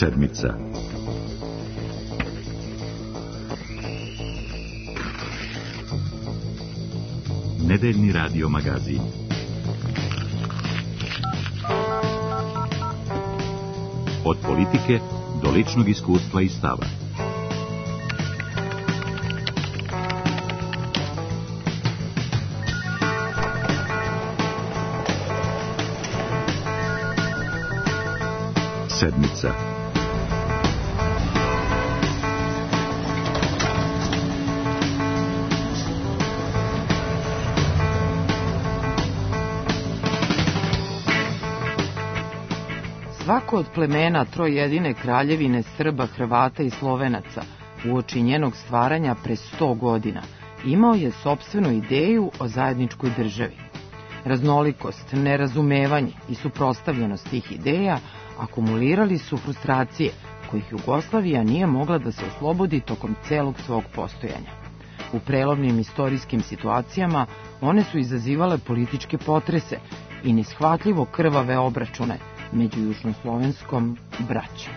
Sedmica. Nedeljni radio magazin. Od politike do ličnog iskustva i stava. Sedmica. Svako od plemena trojedine kraljevine Srba, Hrvata i Slovenaca uoči njenog stvaranja pre 100 godina imao je sopstvenu ideju o zajedničkoj državi. Raznolikost, nerazumevanje i suprotstavljenost tih ideja akumulirali su frustracije kojih Jugoslavija nije mogla da se oslobodi tokom celog svog postojanja. U prelovnim istorijskim situacijama one su izazivale političke potrese i neshvatljivo krvave obračune među južnoslovenskom braćom.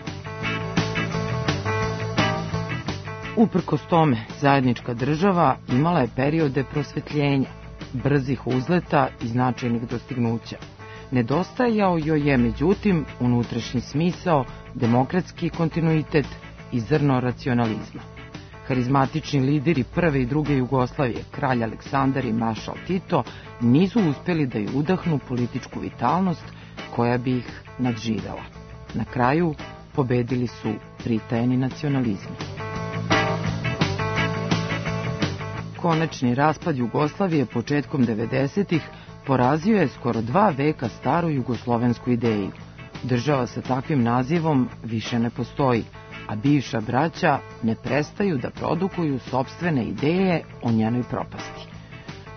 Uprkos tome, zajednička država imala je periode prosvetljenja, brzih uzleta i značajnih dostignuća. Nedostajao joj je, međutim, unutrašnji smisao, demokratski kontinuitet i zrno racionalizma. Harizmatični lideri prve i druge Jugoslavije, kralj Aleksandar i maršal Tito, nisu uspjeli da ju udahnu političku vitalnost koja bi ih nadživela. Na kraju pobedili su pritajeni nacionalizmi. Konačni raspad Jugoslavije početkom 90-ih porazio je skoro 2 veka staru jugoslovensku ideju. Država sa takvim nazivom više ne postoji, a bivša braća ne prestaju da produkuju sopstvene ideje o njenoj propasti.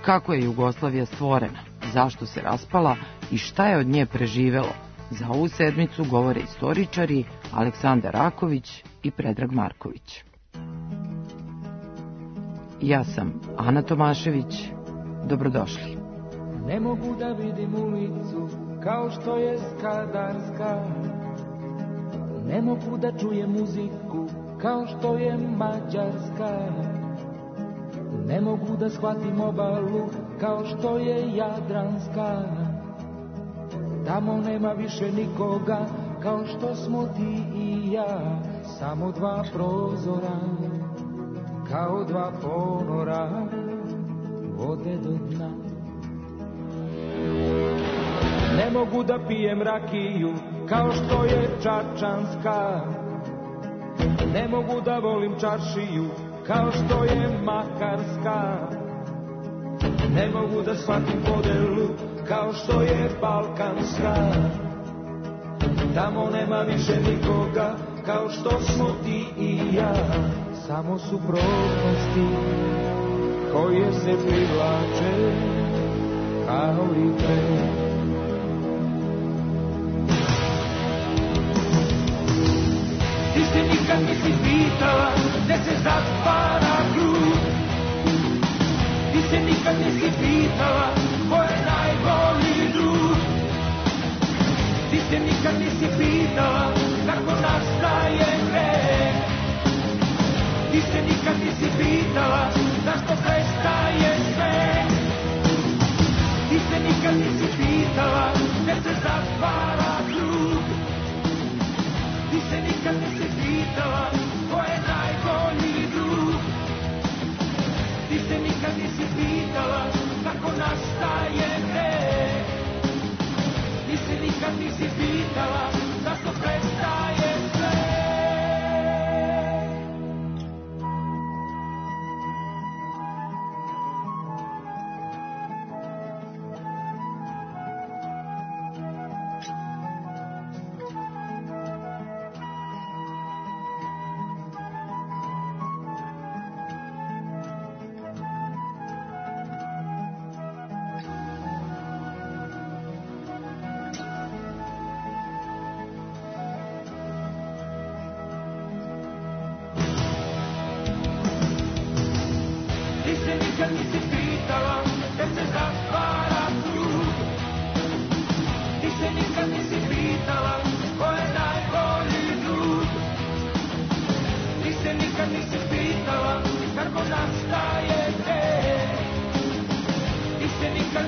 Kako je Jugoslavija stvorena, zašto se raspala i šta je od nje preživelo, za ovu sedmicu govore istoričari Aleksandar Raković i Predrag Marković. Ja sam Ana Tomašević, dobrodošli. Ne mogu da vidim ulicu kao što je Skadarska, ne mogu da čujem muziku kao što je Mađarska, ne mogu da shvatim obalu kao što je Jadranska. Tamo nema više nikoga kao što smo ti i ja, samo 2 prozora kao 2 ponora vode do dna. Ne mogu da pijem rakiju kao što je čačanska, ne mogu da volim čaršiju kao što je makarska, ne mogu da shvatim podelu kao što je balkanska. Tamo nema više nikoga kao što smo ti i ja, samo suprotnosti koje se privlače kao i pre. Ti se nikad nisi pitala gde se zatvara krug, ti se nikad nisi pitala ko je najbolji drug, ti se nikad nisi pitala kako nastaje greh, ti se nikad nisi pitala zašto prestaje sve, ti se nikad nisi pitala gde se zatvara krug, ti se nikad nisi pitala ko je najbolji drug, ti se nikad nisi pitala kako nastaje greh, ti se nikad nisi pitala zašto prestaje sve.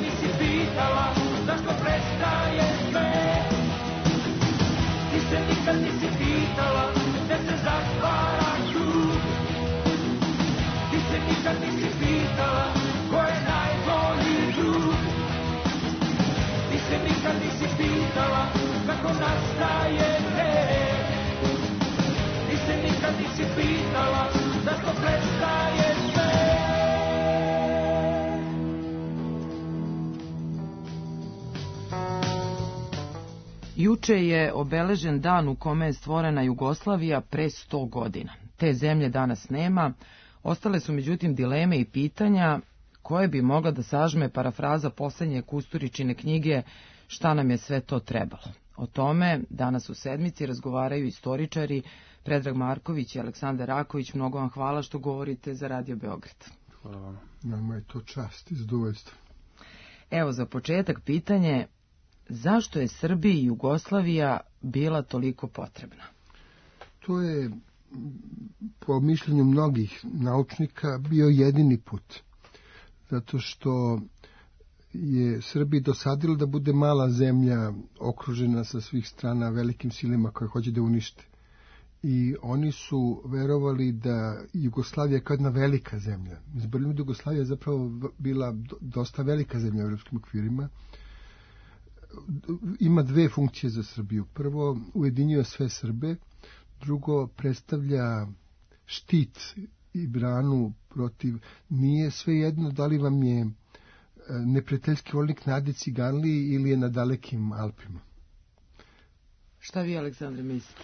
nisi pitala zašto prestaje sve. Ti se nikad nisi pitala gde se zatvara krug. Ti se nikad nisi pitala ko je najbolji drug. Ti se nikad nisi pitala kako nastaje greh. Ti se nikad nisi pitala zašto prestaje sve. Juče je obeležen dan u kome je stvorena Jugoslavija pre 100 godina. Te zemlje danas nema, ostale su međutim dileme i pitanja koje bi mogla da sažme parafraza poslednje Kusturičine knjige Šta nam je sve to trebalo. O tome danas u sedmici razgovaraju istoričari Predrag Marković i Aleksandar Raković. Mnogo vam hvala što govorite za Radio Beograd. Hvala vam. Nama je to čast i zadovoljstvo. Evo za početak pitanje, zašto je Srbiji Jugoslavija bila toliko potrebna? To je, po mišljenju mnogih naučnika, bio jedini put. Zato što je Srbiji dosadilo da bude mala zemlja okružena sa svih strana velikim silima koje hoće da unište. I oni su verovali da Jugoslavija kao jedna velika zemlja. Zaboravljamo da Jugoslavija je zapravo bila dosta velika zemlja u evropskim okvirima. Ima dve funkcije za Srbiju. Prvo, ujedinjuje sve Srbe. Drugo, predstavlja štit i branu protiv. Nije svejedno da li vam je neprijateljski vojnik na Adi Ciganliji ili je na dalekim Alpima. Šta vi, Aleksandre, mislite?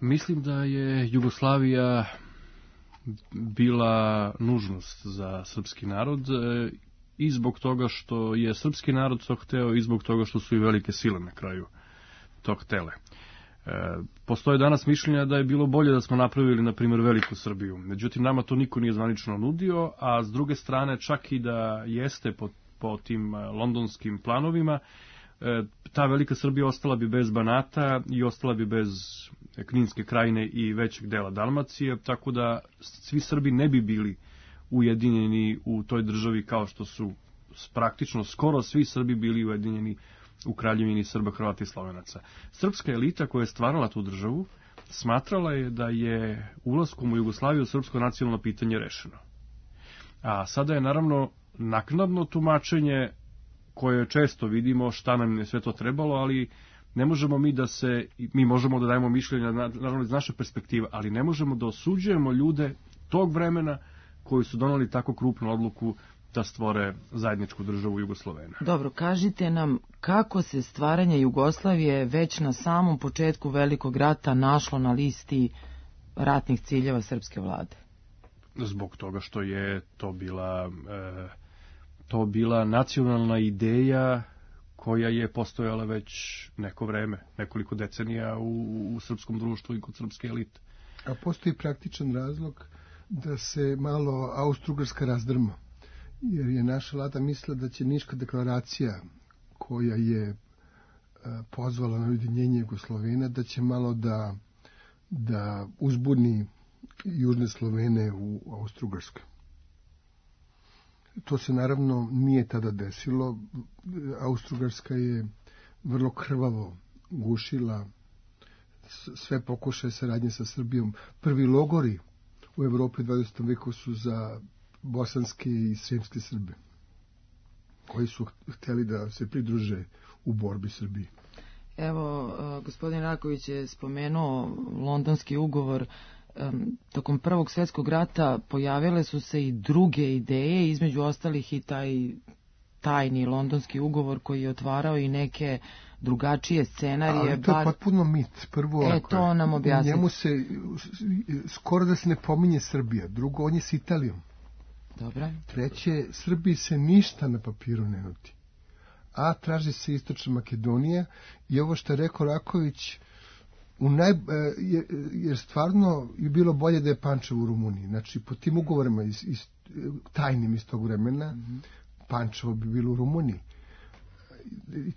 Mislim da je Jugoslavija bila nužnost za srpski narod i zbog toga što je srpski narod to hteo i zbog toga što su i velike sile na kraju to htele. Postoje danas mišljenja da je bilo bolje da smo napravili, na primjer, veliku Srbiju. Međutim, nama to niko nije zvanično nudio, a s druge strane, čak i da jeste po tim londonskim planovima, ta velika Srbija ostala bi bez Banata i ostala bi bez Kninske krajine i većeg dela Dalmacije, tako da svi Srbi ne bi bili ujedinjeni u toj državi kao što su praktično skoro svi Srbi bili ujedinjeni u Kraljevini Srba, Hrvata i Slovenaca. Srpska elita koja je stvarala tu državu smatrala je da je ulaskom u Jugoslaviju srpsko nacionalno pitanje rešeno. A sada je naravno naknadno tumačenje koje često vidimo šta nam je sve to trebalo, ali ne možemo mi možemo da dajemo mišljenja naravno iz naše perspektive, ali ne možemo da osuđujemo ljude tog vremena koji su doneli tako krupnu odluku da stvore zajedničku državu Jugoslovena. Dobro, kažite nam kako se stvaranje Jugoslavije već na samom početku Velikog rata našlo na listi ratnih ciljeva srpske vlade? Zbog toga što je to bila nacionalna ideja koja je postojala već neko vreme, nekoliko decenija u srpskom društvu i kod srpske elite. A postoji praktičan razlog da se malo Austro-Ugarska razdrma, jer je naša vlada mislila da će Niška deklaracija koja je pozvala na ujedinjenje Jugoslovena, da će malo da uzbuni južne Slovene u Austro-Ugarskoj. To se naravno nije tada desilo. Austro-Ugarska je vrlo krvavo gušila sve pokušaje saradnje sa Srbijom. Prvi logori u Evropi u 20. veku su za bosanske i sremske Srbe, koji su hteli da se pridruže u borbi Srbiji. Evo, gospodin Raković je spomenuo Londonski ugovor. Tokom Prvog svjetskog rata pojavile su se i druge ideje, između ostalih i taj tajni Londonski ugovor koji je otvarao i neke drugačije scenarije. Ali to je potpuno mit. Prvo, to nam objasnite. Njemu se skoro da se ne pominje Srbija. Drugo, on je s Italijom. Dobro. Treće, Srbiji se ništa na papiru ne nudi. A traži se Istočna Makedonija i ovo što je rekao Raković, jer stvarno je bilo bolje da je Pančevo u Rumuniji. Znači, po tim ugovorima tajnim iz tog vremena, Pančevo bi bilo u Rumuniji.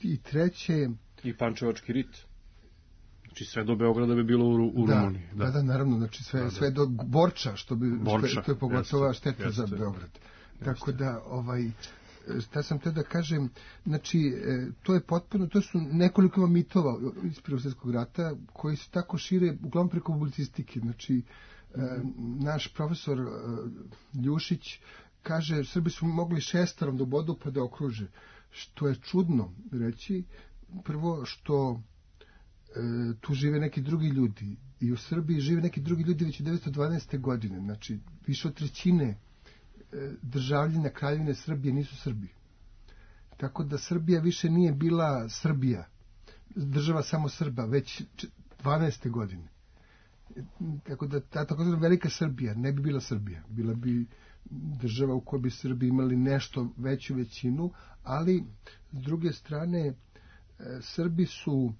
I treće... I Pančevački rit. Znači, sve do Beograda bi bilo u Rumuniji. Da, naravno. Znači, sve do Borča, što je pogotovo šteta za Beograd. Tako da, šta sam te da kažem, znači, to je potpuno, to su nekoliko mitova iz Prvog svjetskog rata koji se tako šire, uglavnom preko publicistike. Znači, naš profesor Ljušić kaže, Srbi su mogli 6 do bodu pa da okruže, što je čudno reći. Prvo što tu žive neki drugi ljudi i u Srbiji žive neki drugi ljudi već 1912. godine, znači više od 1/3 državljana Kraljevine Srbije nisu Srbi. Tako da Srbija više nije bila Srbija, država samo Srba, već 12. godine. Tako da ta takozvana velika Srbija ne bi bila Srbija, bila bi država u kojoj bi Srbi imali nešto veću većinu, ali s druge strane Srbi su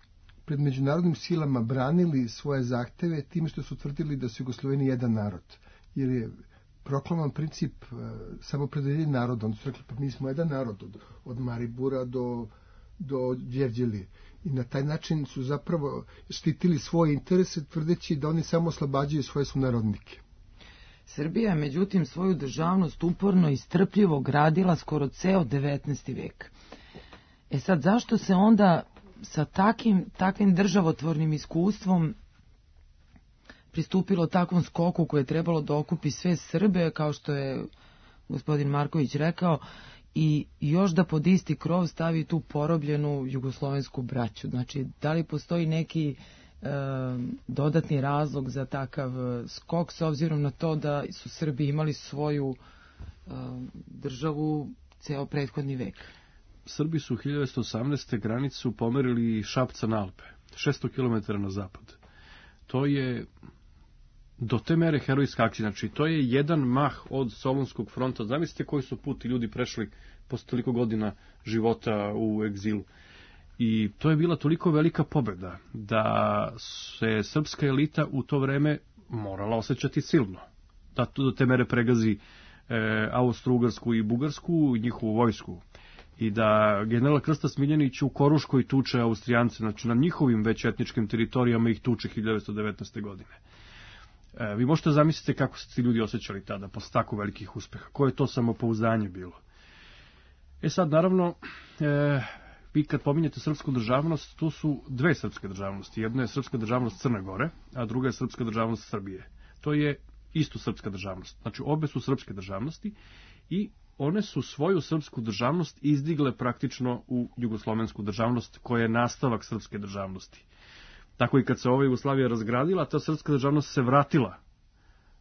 pred međunarodnim silama branili svoje zahteve time što su tvrdili da su Jugosloveni jedan narod, jer je proklaman princip samopredeljenja naroda. Oni su rekli, pa mi smo jedan narod od Maribora do Đerđelije. I na taj način su zapravo štitili svoje interese, tvrdeći da oni samo oslobađaju svoje sunarodnike. Srbija je međutim svoju državnost uporno i strpljivo gradila skoro ceo 19. vek. Sad, zašto se onda sa takvim državotvornim iskustvom pristupilo takvom skoku koje je trebalo da okupi sve Srbe, kao što je gospodin Marković rekao, i još da pod isti krov stavi tu porobljenu jugoslovensku braću? Znači, da li postoji neki dodatni razlog za takav skok, s obzirom na to da su Srbi imali svoju državu ceo prethodni vek? Srbi su 1918. granicu pomerili Šapca na Alpe, 600 km na zapad. To je do te mere herojska akcija, znači to je jedan mah od Solunskog fronta. Zamislite koji su puti ljudi prešli posle toliko godina života u egzilu. I to je bila toliko velika pobeda da se srpska elita u to vreme morala osjećati silno. Da do te mere pregazi Austro-Ugarsku i Bugarsku i njihovu vojsku. I da general Krsta Smiljanić u Koruškoj tuče Austrijance, znači na njihovim već etničkim teritorijama ih tuče 1919. godine. Vi možete zamisliti kako se ti ljudi osjećali tada, posle tako velikih uspeha. Koje je to samopouzdanje bilo? Sad, naravno, vi kad pominjete srpsku državnost, tu su dve srpske državnosti. Jedna je srpska državnost Crne Gore, a druga je srpska državnost Srbije. To je isto srpska državnost. Znači, obe su srpske državnosti i one su svoju srpsku državnost izdigle praktično u jugoslovensku državnost, koja je nastavak srpske državnosti. Tako i kad se ova Jugoslavija razgradila, ta srpska državnost se vratila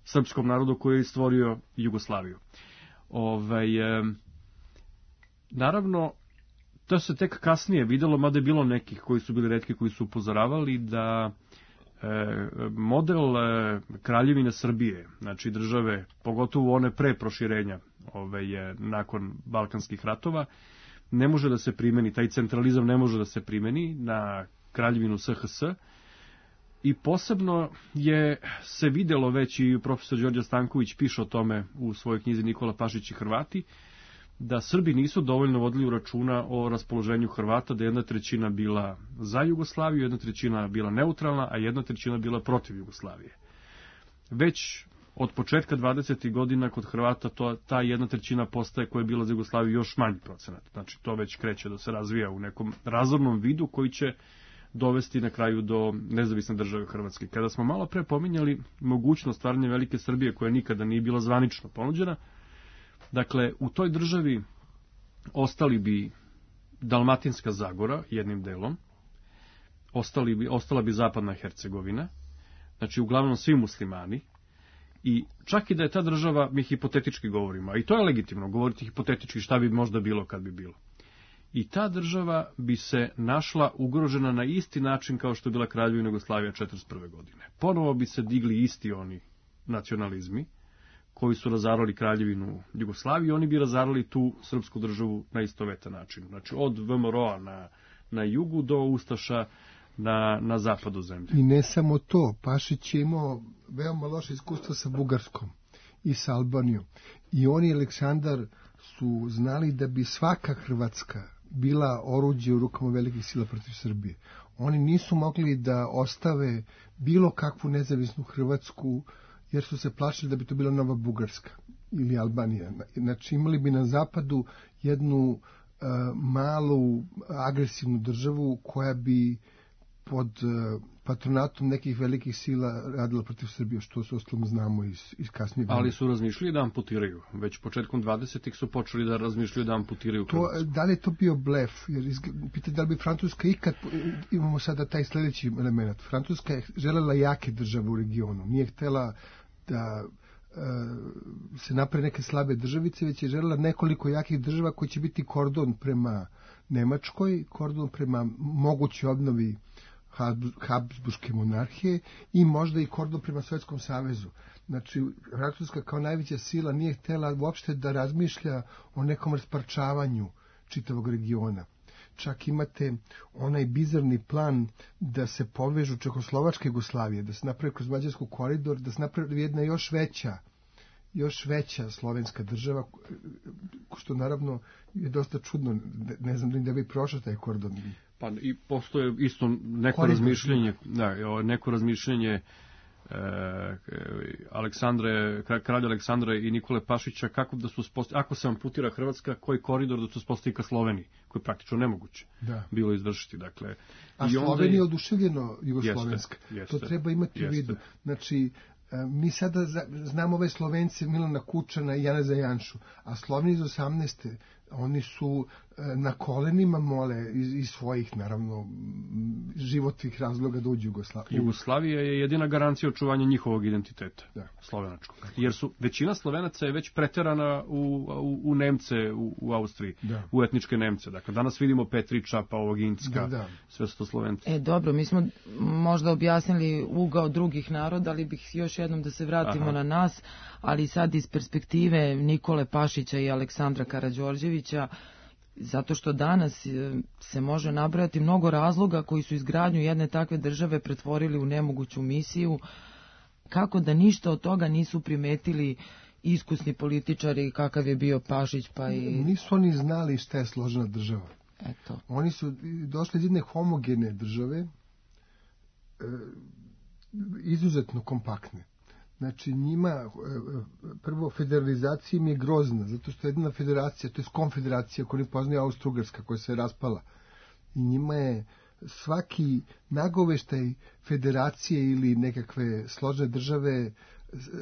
srpskom narodu koji je stvorio Jugoslaviju. Naravno, to se tek kasnije videlo, mada je bilo nekih koji su bili retki koji su upozoravali da model Kraljevine Srbije, znači države, pogotovo one pre proširenja nakon Balkanskih ratova, ne može da se primeni, taj centralizam ne može da se primeni na Kraljevinu SHS, i posebno je se videlo već, i profesor Đorđe Stanković piše o tome u svojoj knjizi Nikola Pašić i Hrvati, da Srbi nisu dovoljno vodili računa o raspoloženju Hrvata, da 1/3 bila za Jugoslaviju, 1/3 bila neutralna, a 1/3 bila protiv Jugoslavije. Već od početka 20. godina kod Hrvata ta 1/3 postaje koja je bila za Jugoslaviju još manji procenat. Znači to već kreće da se razvija u nekom razornom vidu koji će dovesti na kraju do nezavisne države Hrvatske. Kada smo malo pre pominjali mogućnost stvaranja velike Srbije koja nikada nije bila zvanično ponuđena, dakle, u toj državi ostali bi Dalmatinska Zagora jednim delom, ostala bi Zapadna Hercegovina, znači uglavnom svi muslimani, i čak i da je ta država, mi hipotetički govorimo, a i to je legitimno govoriti hipotetički šta bi možda bilo kad bi bilo. I ta država bi se našla ugrožena na isti način kao što je bila Kraljevina Jugoslavija 1941. godine. Ponovo bi se digli isti oni nacionalizmi koji su razarali Kraljevinu Jugoslaviju, oni bi razarali tu srpsku državu na istovetan način. Znači od VMRO-a na jugu do Ustaša na zapadu zemlje. I ne samo to, Pašić je imao veoma loše iskustvo sa Bugarskom i sa Albanijom. I on i Aleksandar su znali da bi svaka Hrvatska bila oruđe u rukama velikih sila protiv Srbije. Oni nisu mogli da ostave bilo kakvu nezavisnu Hrvatsku, jer su se plašili da bi to bila nova Bugarska. ili Albanija. Znači imali bi na zapadu jednu malu agresivnu državu koja bi pod patronatom nekih velikih sila radila protiv Srbije, što se ostalom znamo iz kasnije. Ali su razmišljali da amputiraju. Već početkom 20. su počeli da razmišljaju da amputiraju Hrvatsku. Da li je to bio blef? Jer pitanje da li bi Francuska ikad, imamo sada taj sljedeći element. Francuska je želela jake države u regionu. Nije htjela da se napravi neke slabe državice, već je želela nekoliko jakih država koji će biti kordon prema Nemačkoj, kordon prema mogućoj obnovi Habsburške monarhije i možda i kordon prema Sovjetskom savezu. Znači, Francuska kao najveća sila nije htjela uopšte da razmišlja o nekom rasparčavanju čitavog regiona. Čak imate onaj bizarni plan da se povežu Čehoslovačka i Jugoslavije, da se napravi kroz Mađarsku koridor, da se napravi jedna još veća slovenska država, što naravno je dosta čudno, ne znam da bi prošao taj kordon. Pa i postoje isto neko razmišljanje kralja Aleksandra i Nikole Pašića kako da su ako se amputira Hrvatska, koji koridor da se uspostavi ka Sloveniji, koji je praktično nemoguće bilo izvršiti. Dakle, a Slovenija je oduševljeno jugoslovenska. To treba imati u vidu. Znači, mi sada znamo ove Slovence Milana Kučana i Janeza Janšu, a Sloveni iz 18. oni su na kolenima mole iz svojih, naravno, životnih razloga da uđu u Jugoslaviju. Jugoslavija je jedina garancija očuvanja njihovog identiteta, slovenačkog. Jer većina Slovenaca je već preterana u Nemce, u Austriji, u etničke Nemce. Dakle, danas vidimo Petriča, Pavoginska, sve su to Slovenci. Dobro, mi smo možda objasnili ugao drugih naroda, ali bih još jednom da se vratimo na nas, ali sad iz perspektive Nikole Pašića i Aleksandra Karađorđevića, zato što danas se može nabrojati mnogo razloga koji su izgradnju jedne takve države pretvorili u nemoguću misiju, kako da ništa od toga nisu primetili iskusni političari kakav je bio Pašić. Nisu oni znali šta je složena država. Eto. Oni su došli iz jedne homogene države, izuzetno kompaktne. Znači njima prvo federalizacija im je grozna, zato što je jedna federacija, to je konfederacija koju ne poznaje Austro-Ugarska koja se raspala. I njima je svaki nagoveštaj federacije ili nekakve složene države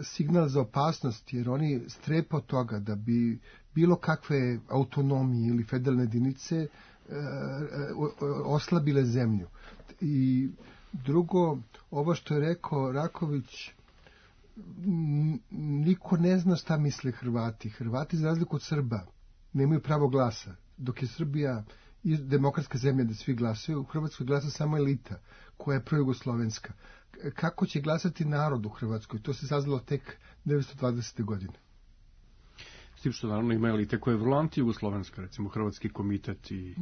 signal za opasnost, jer oni strepe od toga da bi bilo kakve autonomije ili federalne jedinice oslabile zemlju. I drugo, ovo što je rekao Raković, niko ne zna šta misle Hrvati. Hrvati, za razliku od Srba, nemaju pravo glasa. Dok je Srbija demokratska zemlja da svi glasaju, u Hrvatskoj glasa samo elita, koja je projugoslovenska. Kako će glasati narod u Hrvatskoj? To se saznalo tek 1920. godine. S tim što naravno ima elite koje je vrlo anti-jugoslovenska, recimo Hrvatski komitet i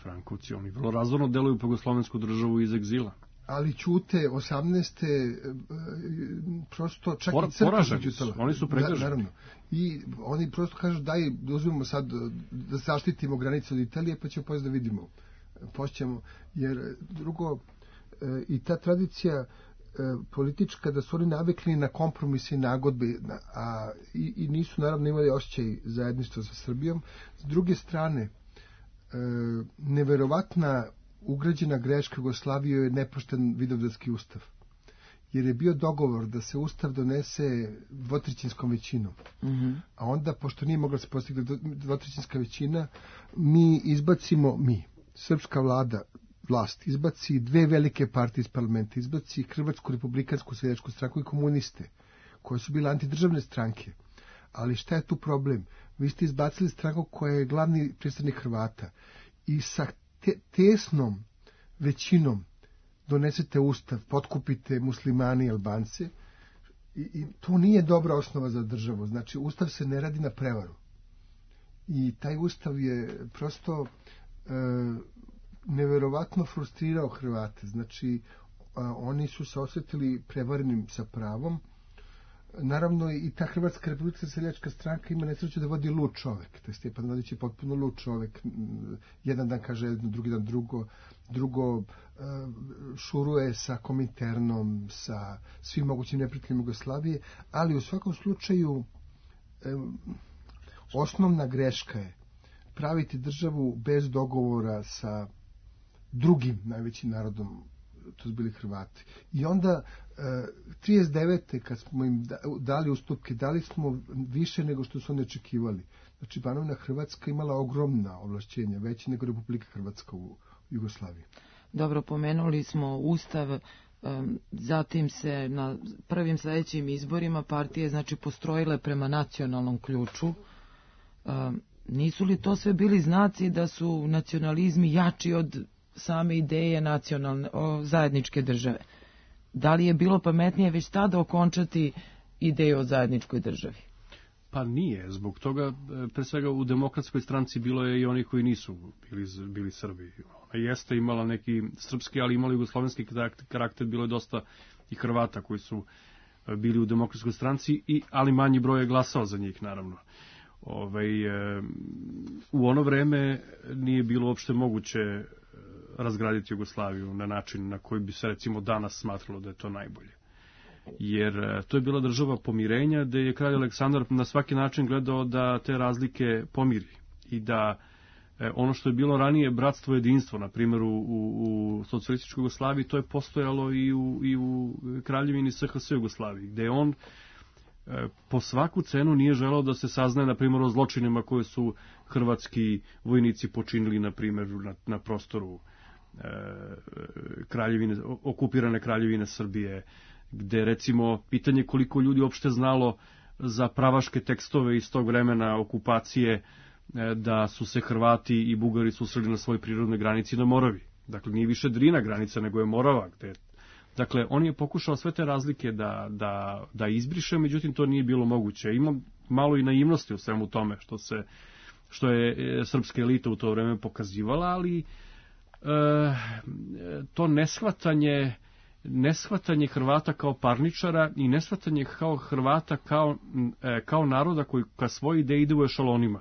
Frankovci, oni vrlo razvorno deluju po jugoslovensku državu iz egzila. Ali ćute 18. prosto čak i crkva ćutala. Oni su pregaženi. I oni prosto kažu daj uzmemo sad da zaštitimo granice od Italije pa ćemo poslije da vidimo. Pošćemo, jer drugo i ta tradicija politička da su oni navikli na kompromise i nagodbe i nisu naravno imali osjećaj zajedništva sa Srbijom. S druge strane neverovatna ugrađena greška Jugoslavije je nepošten Vidovdanski ustav. Jer je bio dogovor da se ustav donese dvotrećinskom većinom. A onda, pošto nije mogla se postigne dvotrećinska većina, srpska vlast, izbaci dve velike partije iz parlamenta, izbaci Hrvatsku republikansku seljačku stranku i komuniste, koje su bile antidržavne stranke. Ali šta je tu problem? Vi ste izbacili stranku koja je glavni predstavnik Hrvata i sa tesnom većinom donesete ustav, potkupite muslimani i Albance i to nije dobra osnova za državu. Znači, ustav se ne radi na prevaru. I taj ustav je prosto neverovatno frustrirao Hrvate. Znači, oni su se osjetili prevarenim sa pravom. Naravno, i ta Hrvatska republikanska seljačka stranka ima nesreću da vodi lud čovek. To je Stjepan Radić je potpuno lud čovek. Jedan dan kaže jedno, drugi dan drugo šuruje sa Kominternom, sa svim mogućim neprijateljima Jugoslavije, ali u svakom slučaju osnovna greška je praviti državu bez dogovora sa drugim najvećim narodom, to su bili Hrvati. I onda 39. kad smo im dali ustupke, dali smo više nego što su oni očekivali. Znači, Banovina Hrvatska imala ogromna ovlašćenja, veće nego Republika Hrvatska u Jugoslaviji. Dobro, pomenuli smo Ustav, zatim se na prvim sledećim izborima partije znači postrojile prema nacionalnom ključu. Nisu li to sve bili znaci da su nacionalizmi jači od same ideje nacionalne, zajedničke države? Da li je bilo pametnije već tada okončati ideju o zajedničkoj državi? Pa nije, zbog toga, pre svega u Demokratskoj stranci bilo je i oni koji nisu bili Srbi. Ona jeste imala neki srpski, ali imala jugoslovenski karakter, bilo je dosta i Hrvata koji su bili u Demokratskoj stranci, ali manji broj je glasao za njih, naravno. U ono vreme nije bilo uopšte moguće razgraditi Jugoslaviju na način na koji bi se recimo danas smatralo da je to najbolje. Jer to je bila država pomirenja, gde je kralj Aleksandar na svaki način gledao da te razlike pomiri i da ono što je bilo ranije bratstvo jedinstvo, na primjer u socijalističkoj Jugoslaviji, to je postojalo i u kraljevini SHS Jugoslaviji, gde on po svaku cenu nije želeo da se saznaje, na primjer, o zločinima koje su hrvatski vojnici počinili, na primjer, na prostoru okupirane kraljevine Srbije, gde, recimo, pitanje koliko ljudi uopšte znalo za pravaške tekstove iz tog vremena okupacije, da su se Hrvati i Bugari susreli na svojoj prirodnoj granici na Moravi. Dakle, nije više Drina granica, nego je Morava. Dakle, on je pokušao sve te razlike da izbriše, međutim, to nije bilo moguće. Ima malo i naivnosti u svemu tome, što je srpska elita u to vreme pokazivala, ali to neshvatanje Hrvata kao parničara i neshvatanje kao Hrvata kao naroda koji ka svoje ideje ide u ešalonima,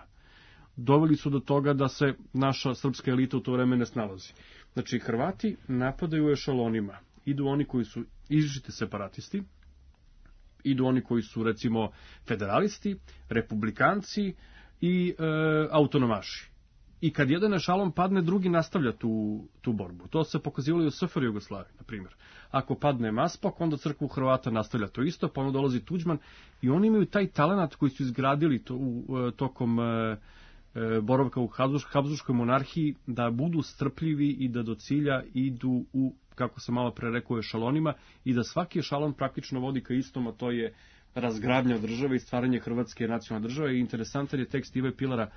doveli su do toga da se naša srpska elita u to vreme ne snalazi. Znači, Hrvati napadaju u ešalonima. Idu oni koji su izričiti separatisti, idu oni koji su, recimo, federalisti, republikanci i autonomaši. I kad jedan ešalon padne, drugi nastavlja tu borbu. To se pokazivalo i u SFRJ Jugoslaviji, na primjer. Ako padne Maspok, onda crkvu Hrvata nastavlja to isto, pa onda dolazi Tuđman i oni imaju taj talenat koji su izgradili tokom boravka u Habsburškoj monarhiji, da budu strpljivi i da do cilja idu u, kako sam malo pre rekao, ešalonima i da svaki ešalon praktično vodi ka istom, a to je razgradnja države i stvaranje Hrvatske nacionalne države. I interesantan je tekst Ive Pilara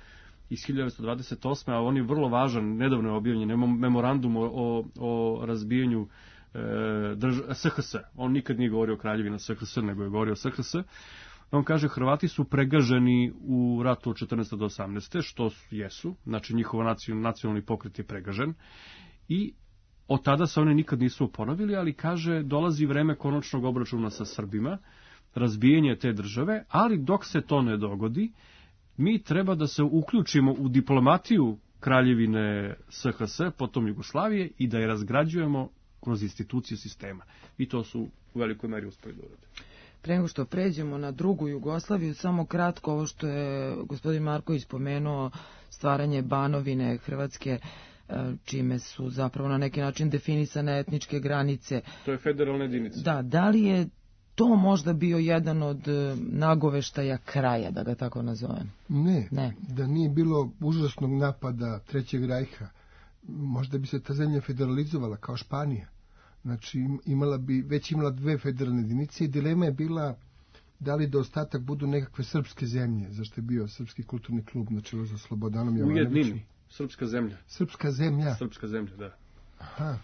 iz 1928. a on je vrlo važan, nedavno je objavljen, memorandum o razbijanju SHS. On nikad nije govorio o kraljevina SHS, nego je govorio o SHS. On kaže, Hrvati su pregaženi u ratu od 14. do 18. što jesu, znači njihov nacionalni pokret je pregažen i od tada se oni nikad nisu oporavili, ali kaže, dolazi vreme konačnog obračuna sa Srbima, razbijanje te države, ali dok se to ne dogodi, mi treba da se uključimo u diplomatiju kraljevine SHS, potom Jugoslavije, i da je razgrađujemo kroz institucije sistema. I to su u velikoj meri uspeli da urade. Pre nego što pređemo na drugu Jugoslaviju, samo kratko ovo što je gospodin Marković spomenuo, stvaranje Banovine Hrvatske, čime su zapravo na neki način definisane etničke granice. To je federalna jedinica. Da li je to možda bio jedan od nagoveštaja kraja, da ga tako nazovem? Ne. Da nije bilo užasnog napada Trećeg rajha, možda bi se ta zemlja federalizovala kao Španija. Znači, već imala dve federalne jedinice i dilema je bila da li da ostatak budu nekakve srpske zemlje, zašto je bio Srpski kulturni klub na čelu sa Slobodanom Jovanovićem. U jednini, Srpska zemlja. Srpska zemlja? Srpska zemlja, da. Aha.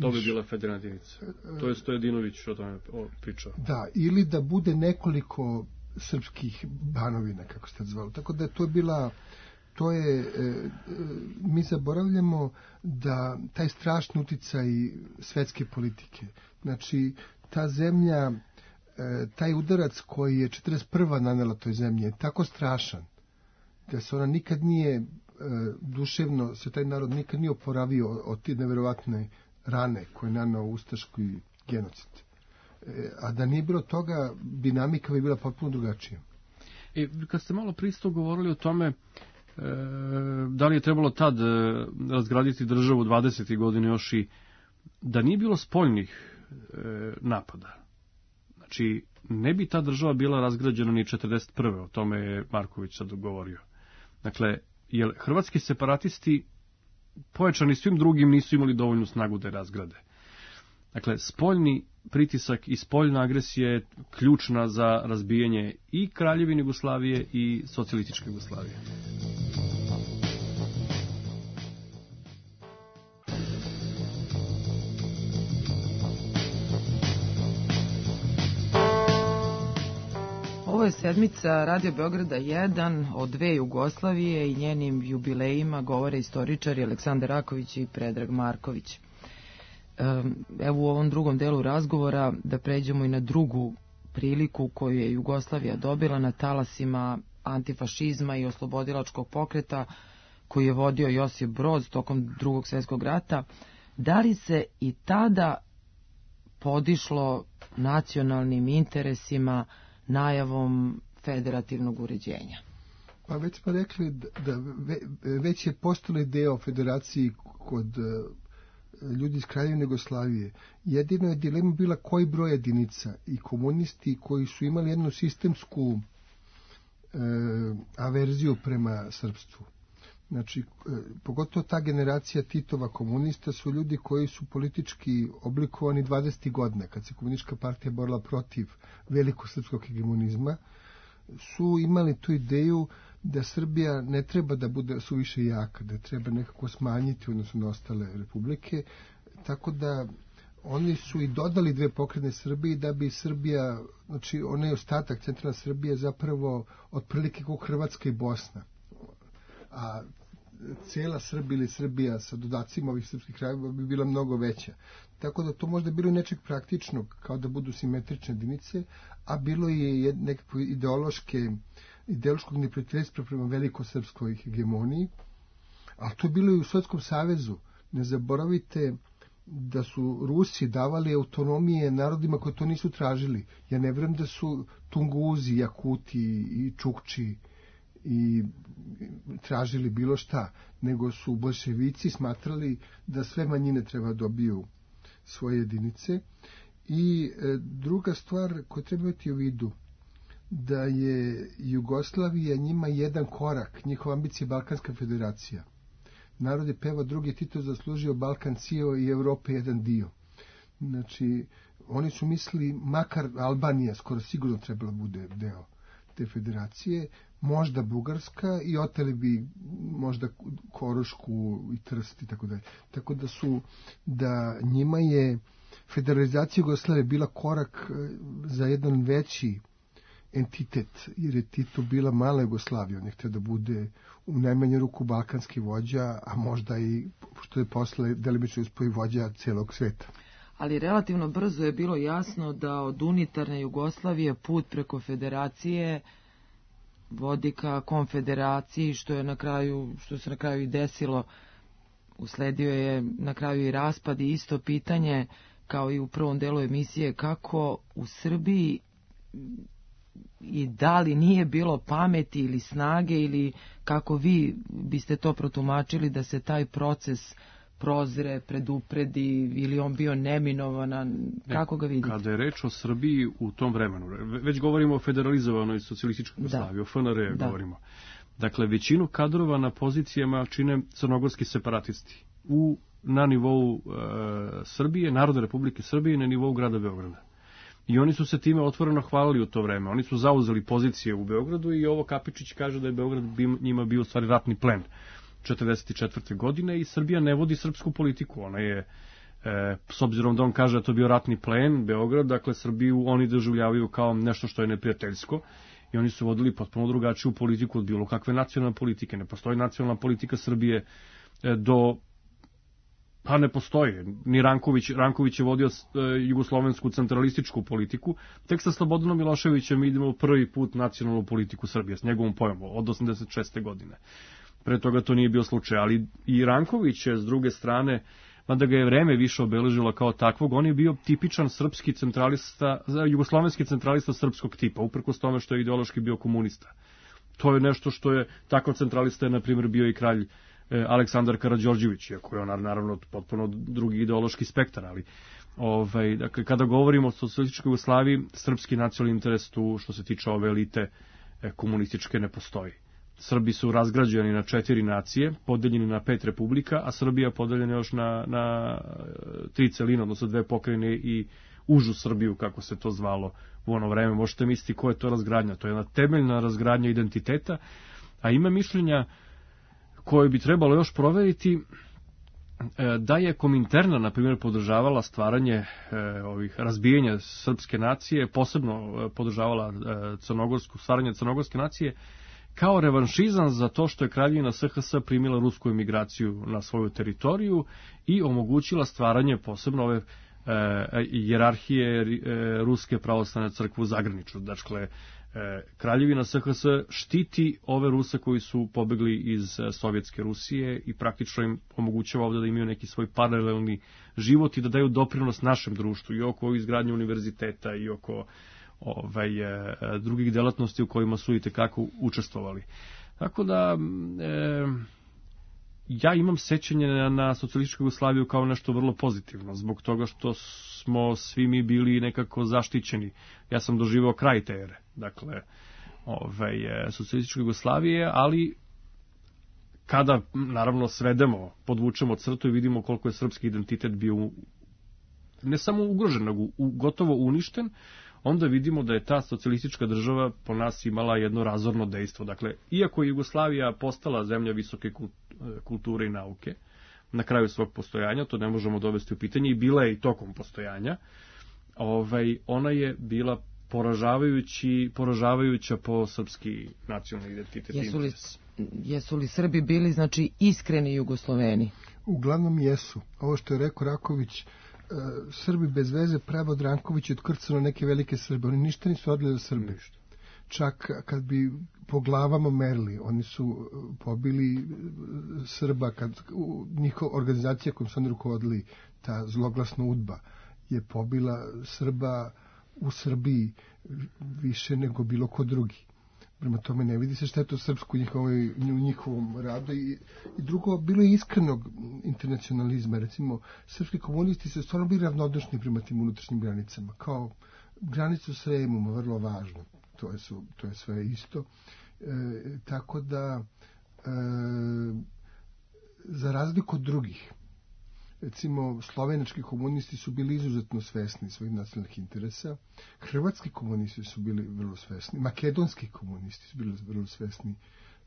To bi bila federalna jedinica. To je Stojadinović o tome pričao. Da, ili da bude nekoliko srpskih banovina, kako ste zvali. Tako da to je bila... mi zaboravljamo da taj strašni uticaj svetske politike, znači ta zemlja, taj udarac koji je 41. nanela toj zemlji je tako strašan da se ona nikad nije duševno, se taj narod nikad nije oporavio od te neverovatne rane koje je naneo ustaški genocid. A da nije bilo toga, dinamika bi bila potpuno drugačija. Kad ste malo pristo govorili o tome da li je trebalo tad razgraditi državu 20. godine još i da nije bilo spoljnih napada. Znači, ne bi ta država bila razgrađena ni 41. O tome je Marković sad govorio. Dakle, jer hrvatski separatisti pojačani svim drugim nisu imali dovoljnu snagu da je razgrade. Dakle, spoljni pritisak i spoljna agresija je ključna za razbijanje i Kraljevine Jugoslavije i socijalističke Jugoslavije. Ovo je sedmica Radio Beograda 1 o dve Jugoslavije i njenim jubilejima govore istoričari Aleksandar Raković i Predrag Marković. Evo u ovom drugom delu razgovora da pređemo i na drugu priliku koju je Jugoslavija dobila na talasima antifašizma i oslobodilačkog pokreta koji je vodio Josip Broz tokom Drugog svjetskog rata. Da li se i tada podišlo nacionalnim interesima najavom federativnog uređenja? Pa već smo rekli da već je postala ideja o federaciji kod ljudi iz Kraljevine Jugoslavije. Jedino je dilema bila koji broj jedinica i komunisti koji su imali jednu sistemsku averziju prema srpstvu. Znači, pogotovo ta generacija Titova komunista su ljudi koji su politički oblikovani 20. godina, kad se komunistička partija borila protiv velikog srpskog hegemonizma, su imali tu ideju da Srbija ne treba da bude suviše jaka, da treba nekako smanjiti odnosno na ostale republike, tako da oni su i dodali dve pokretne Srbije da bi Srbija, znači onaj ostatak centralna Srbija zapravo otprilike kao Hrvatska i Bosna, a cijela Srbija ili Srbija sa dodacima ovih srpskih krajeva bi bila mnogo veća. Tako da to možda bilo nečeg praktičnog, kao da budu simetrične jedinice, a bilo je nekako ideološkog neprijateljstva prema velikosrpskoj hegemoniji, a to je bilo i u Sovjetskom savezu. Ne zaboravite da su Rusi davali autonomije narodima koji to nisu tražili. Ja ne vjerujem da su Tunguzi, Jakuti i Čukči i tražili bilo šta, nego su boljševici smatrali da sve manjine treba dobiju svoje jedinice. I druga stvar koju treba imati u vidu, da je Jugoslavija njima jedan korak, njihova ambicija je Balkanska federacija. Narod je pevao drugi Tito zaslužio Balkan cijeo i Evrope jedan dio. Znači, oni su mislili makar Albanija skoro sigurno trebala bude deo te federacije, možda Bugarska i oteli bi možda Korošku i Trst i tako dalje. Tako da njima je federalizacija Jugoslavije bila korak za jedan veći entitet, jer je Tito bila mala Jugoslavija, on je htio da bude u najmanju ruku balkanski vođa, a možda i, što je posle delimično uspio i vođa celog sveta. Ali relativno brzo je bilo jasno da od unitarne Jugoslavije put preko federacije vodi ka konfederaciji, što se na kraju i desilo. Usledio je na kraju i raspad i isto pitanje kao i u prvom delu emisije, kako u Srbiji i da li nije bilo pameti ili snage, ili kako vi biste to protumačili da se taj proces prozre, predupredi, ili on bio neminovan, kako ga vidite? Kada je reč o Srbiji u tom vremenu, već govorimo o federalizovanoj socijalističkoj Jugoslaviji, o FNR govorimo. Dakle, većinu kadrova na pozicijama čine crnogorski separatisti na nivou Srbije, Narodne Republike Srbije, na nivou grada Beograda. I oni su se time otvoreno hvalili u to vreme. Oni su zauzeli pozicije u Beogradu i ovo Kapičić kaže da je Beograd njima bio u stvari ratni plen 1944. godine i Srbija ne vodi srpsku politiku. Ona je, s obzirom da on kaže da to bio ratni plen Beograd, dakle Srbiju oni doživljavaju kao nešto što je neprijateljsko i oni su vodili potpuno drugačiju politiku od bilo kakve nacionalne politike. Ne postoji nacionalna politika Srbije pa ne postoji. Ni Ranković je vodio jugoslovensku centralističku politiku. Tek sa Slobodanom Miloševićem idemo prvi put nacionalnu politiku Srbije, s njegovom pojmom, od 86. godine. Pre toga to nije bio slučaj, ali i Ranković je s druge strane mada ga je vreme više obeležilo kao takvog, on je bio tipičan srpski centralista, jugoslovenski centralista srpskog tipa, uprkos tome što je ideološki bio komunista. To je nešto što je, takav centralista je, na primjer, bio i kralj Aleksandar Karađorđević, iako je on naravno potpuno drugi ideološki spektar, ali dakle, kada govorimo o socijalističkoj Jugoslaviji, srpski nacionalni interes tu, što se tiče ove elite komunističke, ne postoji. Srbi su razgrađeni na 4 nacije, podeljeni na 5 republika, a Srbija podeljena još na 3 celine, odnosno 2 pokrajine i užu Srbiju, kako se to zvalo u ono vreme. Možete misliti ko je to razgradnja. To je jedna temeljna razgradnja identiteta, a ima mišljenja koje bi trebalo još proveriti da je Kominterna, na primjer, podržavala stvaranje razbijanja srpske nacije, posebno podržavala stvaranje crnogorske nacije, kao revanšizam za to što je kraljevina SHS primila rusku emigraciju na svoju teritoriju i omogućila stvaranje posebno ove hijerarhije Ruske pravoslavne crkve u Zagraniču. Dakle, kraljevina SHS štiti ove Ruse koji su pobegli iz Sovjetske Rusije i praktično im omogućava ovdje da imaju neki svoj paralelni život i da daju doprinos našem društvu i oko izgradnje univerziteta i oko drugih delatnosti u kojima su itekako učestvovali. Tako da ja imam sećanje na socijalističku Jugoslaviju kao nešto vrlo pozitivno, zbog toga što smo svi mi bili nekako zaštićeni. Ja sam doživao kraj te ere, dakle, socijalističke Jugoslavije, ali kada, naravno, svedemo, podvučemo crtu i vidimo koliko je srpski identitet bio ne samo ugrožen, nego gotovo uništen, onda vidimo da je ta socijalistička država po nas imala jedno razorno dejstvo. Dakle, iako je Jugoslavija postala zemlja visoke kulture i nauke, na kraju svog postojanja, to ne možemo dovesti u pitanje, i bila je i tokom postojanja, ona je bila poražavajuća po srpski nacionalni identitet. Jesu li Srbi bili, znači, iskreni Jugosloveni? Uglavnom jesu. Ovo što je rekao Raković, Srbi bez veze, pravo od Rankovića otkrcano neke velike Srbe. Oni ništa nisu odli za Srbe. Čak kad bi po glavama merili, oni su pobili Srba, njihova organizacija kojom su oni rukovodili, ta zloglasna UDBA, je pobila Srba u Srbiji više nego bilo ko drugi. Prema tome ne vidi se šta je to srpsko u njihovom radu. I drugo, bilo je iskrenog internacionalizma. Recimo, srpski komunisti su stvarno bili ravnodušni prema tim unutrašnjim granicama. Kao granicu s Remom, vrlo važno. To je sve isto. Tako da, za razliku od drugih, recimo, slovenački komunisti su bili izuzetno svesni svojih nacionalnih interesa, hrvatski komunisti su bili vrlo svesni, makedonski komunisti su bili vrlo svesni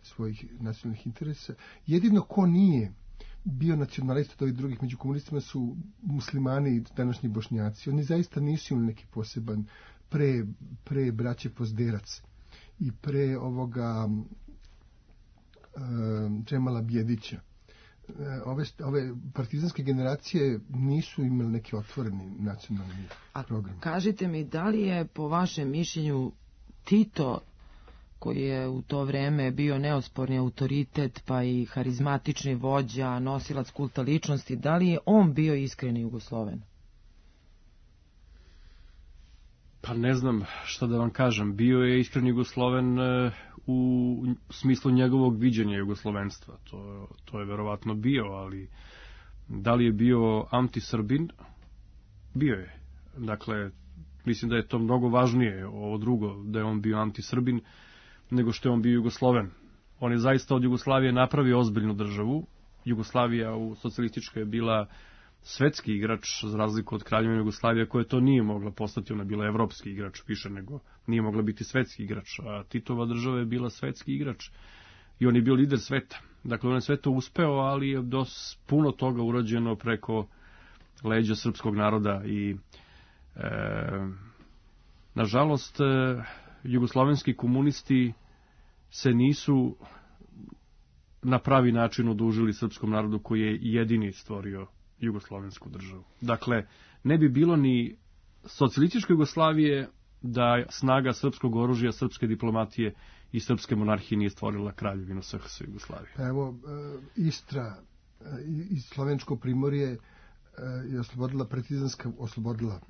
svojih nacionalnih interesa. Jedino ko nije bio nacionalista od ovih drugih među komunistima su muslimani i današnji Bošnjaci. Oni zaista nisu imali neki poseban pre braće Pozderac i pre ovoga Džemala Bjedića. Ove partizanske generacije nisu imali neki otvoreni nacionalni program. Kažite mi, da li je po vašem mišljenju Tito, koji je u to vreme bio neosporni autoritet pa i harizmatični vođa, nosilac kulta ličnosti, da li je on bio iskreni Jugosloven? Pa ne znam šta da vam kažem. Bio je iskreni Jugosloven u smislu njegovog viđenja jugoslovenstva. To je verovatno bio, ali da li je bio anti-Srbin? Bio je. Dakle, mislim da je to mnogo važnije, ovo drugo, da je on bio anti-Srbin, nego što je on bio Jugosloven. On je zaista od Jugoslavije napravio ozbiljnu državu. Jugoslavija u socijalističkoj je bila svetski igrač, za razliku od Kraljevine Jugoslavije, koja to nije mogla postati, ona je bila evropski igrač više nego nije mogla biti svetski igrač, a Titova država je bila svetski igrač i on je bio lider sveta. Dakle, on je sve to uspeo, ali je puno toga urađeno preko leđa srpskog naroda i nažalost jugoslovenski komunisti se nisu na pravi način odužili srpskom narodu koji je jedini stvorio jugoslovensku državu. Dakle, ne bi bilo ni socijalističke Jugoslavije da snaga srpskog oružja, srpske diplomatije i srpske monarhije nije stvorila kraljevinu SHS Jugoslavije. Evo, Istra i slovensko primorje je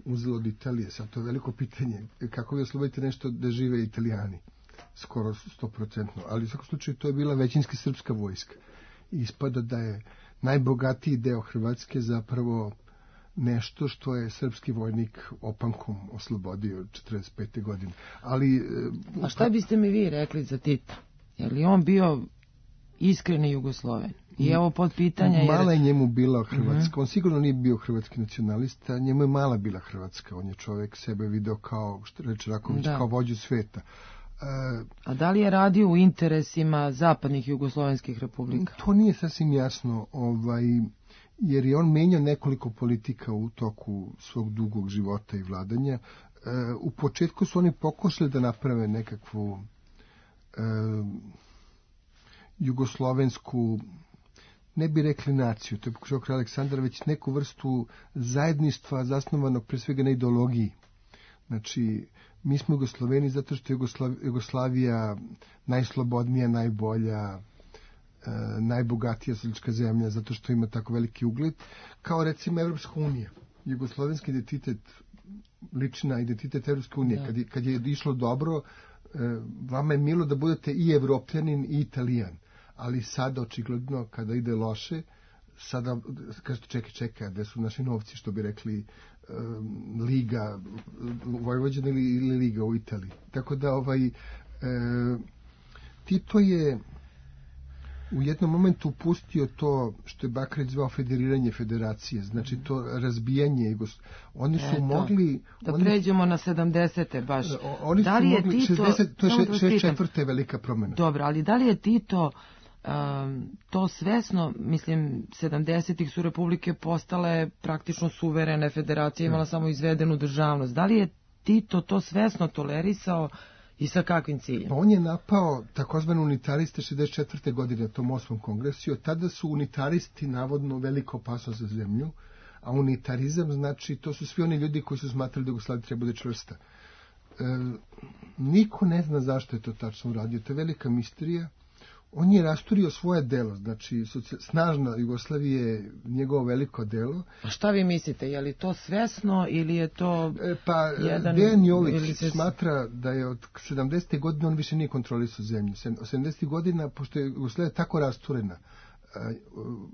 uzela od Italije. Sad to je veliko pitanje. Kako vi oslobodite nešto da žive Italijani? Skoro 100%. Ali u svakom slučaju to je bila većinski srpska vojska. I ispada da je najbogatiji deo Hrvatske zapravo nešto što je srpski vojnik opankom oslobodio 45. godine. Ali, a šta biste mi vi rekli za Tita? Je li on bio iskreni Jugosloven? I evo pod pitanja... Mala je njemu bila Hrvatska. On sigurno nije bio hrvatski nacionalista, njemu je mala bila Hrvatska. On je čovjek sebe video kao, što reče Raković, kao vođu sveta. A da li je radio u interesima zapadnih jugoslovenskih republika? To nije sasvim jasno, jer je on menjao nekoliko politika u toku svog dugog života i vladanja. U početku su oni pokušali da naprave nekakvu jugoslovensku, ne bi rekli naciju, to je pokušao kralj Aleksandar, već neku vrstu zajedništva zasnovanog pre svega na ideologiji. Znači, mi smo Jugosloveni zato što je Jugoslavija najslobodnija, najbolja, najbogatija socijalistička zemlja, zato što ima tako veliki ugled, kao recimo Evropska unija. Jugoslovenski identitet liči na identitet Evropske unije. Kad je išlo dobro, vama je milo da budete i Evropljanin i Italijan. Ali sada, očigledno, kada ide loše, sada kažete čekaj, gde su naši novci, što bi rekli Liga u Vojvođani ili Liga u Italiji. Tako da Tito je u jednom momentu pustio to što je Bakarić zvao federiranje federacije, znači to razbijanje. Oni su mogli... pređemo na 70. baš. Oni da li su mogli, Tito, 60, to je 64. velika promjena. Dobro, ali da li je Tito to svesno, mislim, 70-ih su republike postale praktično suverene, federacija imala samo izvedenu državnost. Da li je Tito to svesno tolerisao i sa kakvim ciljem? On je napao takozvane unitariste 64. godine na tom 8. kongresu. Od tada su unitaristi navodno veliko opasnost za zemlju, a unitarizam znači to su svi oni ljudi koji su smatrali da Jugoslavija treba bude čvrsta. Niko ne zna zašto je to tačno uradio. To je velika misterija. On je rasturio svoje delo, znači snažna Jugoslavija je njegovo veliko delo. A šta vi mislite, je li to svesno ili je to jedan... Dejan Jović smatra da je od 70. godine on više nije kontrolisao zemlju. 70. godina, pošto je Jugoslavija tako rasturena,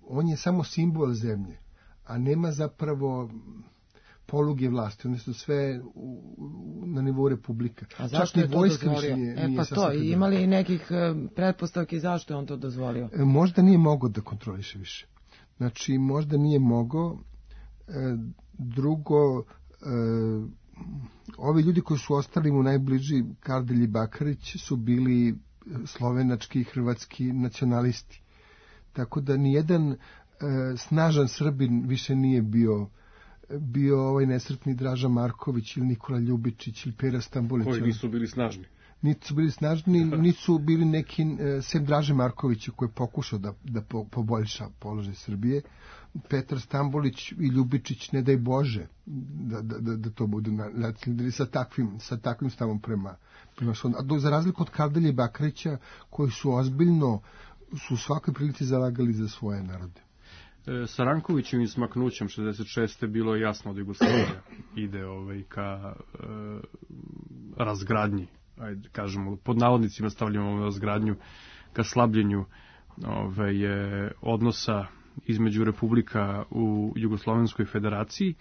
on je samo simbol zemlje, a nema zapravo poluge vlasti, one su sve na nivou republika. A zašto je to dozvolio? Pa to, imali i nekih pretpostavki zašto je on to dozvolio? Možda nije mogao da kontroliše više. Znači, možda nije mogao. Drugo, ovi ljudi koji su ostali mu najbliži, Kardelj i Bakarić, su bili slovenački i hrvatski nacionalisti. Tako da nijedan snažan Srbin više nije bio ovaj nesretni Draža Marković ili Nikola Ljubičić ili Pera Stambolić. Koji nisu bili snažni. Nisu bili snažni, nisu bili neki, sem Draže Markovića koji je pokušao da poboljša položaj Srbije. Petar Stambolić i Ljubičić, ne daj Bože, da to budu sa takvim stavom prema svom. A za razliku od Kardelja i Bakarića, koji su ozbiljno, su u svakoj prilici zalagali za svoje narode. Sa Rankovićevim smaknućem 66. bilo je jasno da Jugoslavija ide ka razgradnji, ajde kažemo, pod navodnicima stavljamo razgradnju, ka slabljenju odnosa između republika u Jugoslovenskoj federaciji.